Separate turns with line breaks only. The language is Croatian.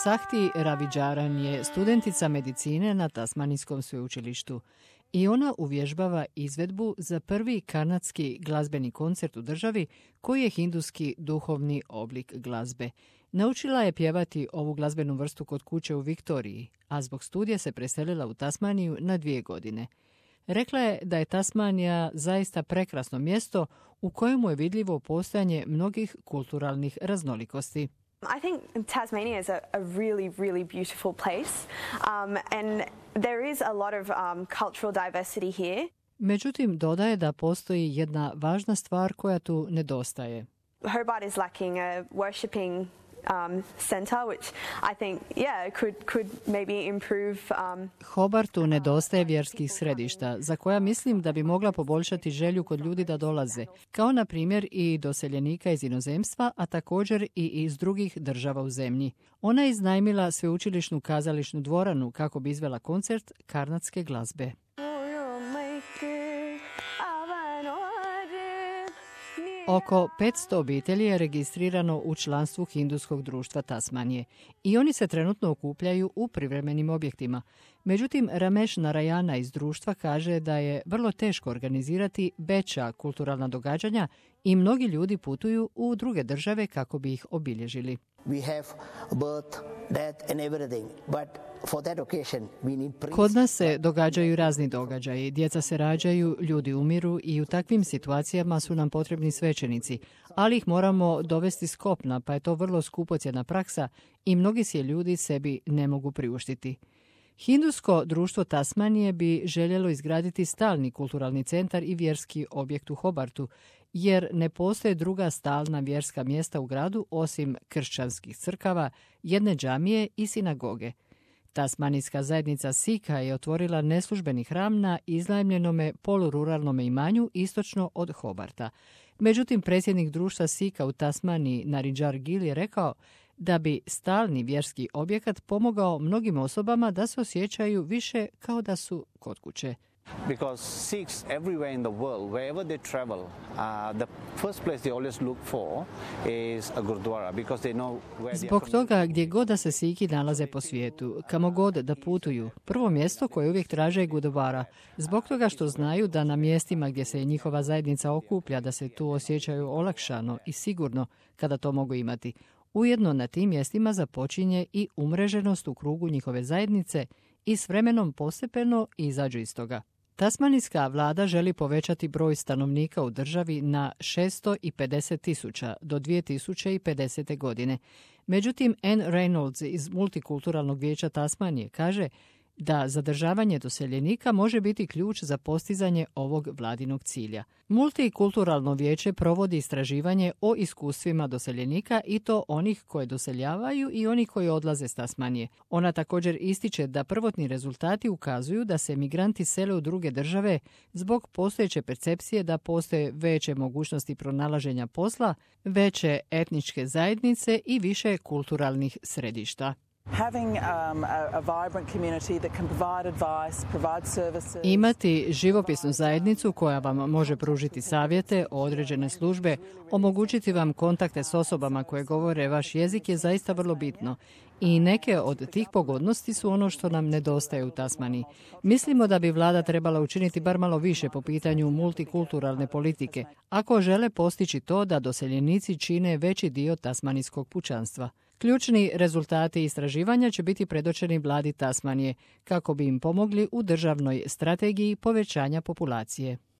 Sahti Ravidžaran je studentica medicine na Tasmanijskom sveučilištu i ona uvježbava izvedbu za prvi kanadski glazbeni koncert u državi koji je hinduski duhovni oblik glazbe. Naučila je pjevati ovu glazbenu vrstu kod kuće u Viktoriji, a zbog studija se preselila u Tasmaniju na 2 godine. Rekla je da je Tasmanija zaista prekrasno mjesto u kojemu je vidljivo postojanje mnogih kulturalnih raznolikosti.
I think Tasmania is a really beautiful place, and there is a lot of cultural diversity here.
Međutim, dodaje da postoji jedna važna stvar koja tu nedostaje.
Hobart is lacking a worshipping center, which I think, could maybe improve.
Hobartu nedostaje vjerskih središta, za koja mislim da bi mogla poboljšati želju kod ljudi da dolaze, kao na primjer i doseljenika iz inozemstva, a također i iz drugih država u zemlji. Ona je iznajmila sveučilišnu kazališnu dvoranu kako bi izvela koncert karnatske glazbe. Oko 500 obitelji je registrirano u članstvu Hinduskog društva Tasmanije i oni se trenutno okupljaju u privremenim objektima. Međutim, Ramesh Narayana iz društva kaže da je vrlo teško organizirati veća kulturalna događanja i mnogi ljudi putuju u druge države kako bi ih obilježili. Kod nas se događaju razni događaji, djeca se rađaju, ljudi umiru i u takvim situacijama su nam potrebni svećenici, ali ih moramo dovesti s kopna, pa je to vrlo skupocjena praksa i mnogi si je ljudi sebi ne mogu priuštiti. Hindusko društvo Tasmanije bi željelo izgraditi stalni kulturalni centar i vjerski objekt u Hobartu, jer ne postoje druga stalna vjerska mjesta u gradu osim kršćanskih crkava, jedne džamije i sinagoge. Tasmanijska zajednica Sikha je otvorila neslužbeni hram na iznajmljenome polururalnome imanju istočno od Hobarta. Međutim, predsjednik društva Sikha u Tasmaniji, Naridžar Gill, je rekao da bi stalni vjerski objekat pomogao mnogim osobama da se osjećaju više kao da su kod kuće.
Because Sikhs everywhere in the world, wherever they travel, the first place they always look for is a gurdwara, because they know where.
Zbog toga, gdje god da se Sikhi nalaze po svijetu, kamo god da putuju, prvo mjesto koje uvijek traže je gurdwara. Zbog toga što znaju da na mjestima gdje se njihova zajednica okuplja, da se tu osjećaju olakšano i sigurno kada to mogu imati. Ujedno na tim mjestima započinje i umreženost u krugu njihove zajednice i s vremenom postepeno izađu iz toga. Tasmanijska vlada želi povećati broj stanovnika u državi na 650,000 do 2050. godine. Međutim, Anne Reynolds iz Multikulturalnog vijeća Tasmanije kaže da zadržavanje doseljenika može biti ključ za postizanje ovog vladinog cilja. Multikulturalno vijeće provodi istraživanje o iskustvima doseljenika i to onih koje doseljavaju i onih koji odlaze s Tasmanije. Ona također ističe da prvotni rezultati ukazuju da se migranti sele u druge države zbog postojeće percepcije da postoje veće mogućnosti pronalaženja posla, veće etničke zajednice i više kulturalnih središta. Imati živopisnu zajednicu koja vam može pružiti savjete, određene službe, omogućiti vam kontakte s osobama koje govore vaš jezik je zaista vrlo bitno. I neke od tih pogodnosti su ono što nam nedostaje u Tasmaniji. Mislimo da bi vlada trebala učiniti bar malo više po pitanju multikulturalne politike, ako žele postići to da doseljenici čine veći dio tasmanijskog pučanstva. Ključni rezultati istraživanja će biti predočeni vladi Tasmanije kako bi im pomogli u državnoj strategiji povećanja populacije.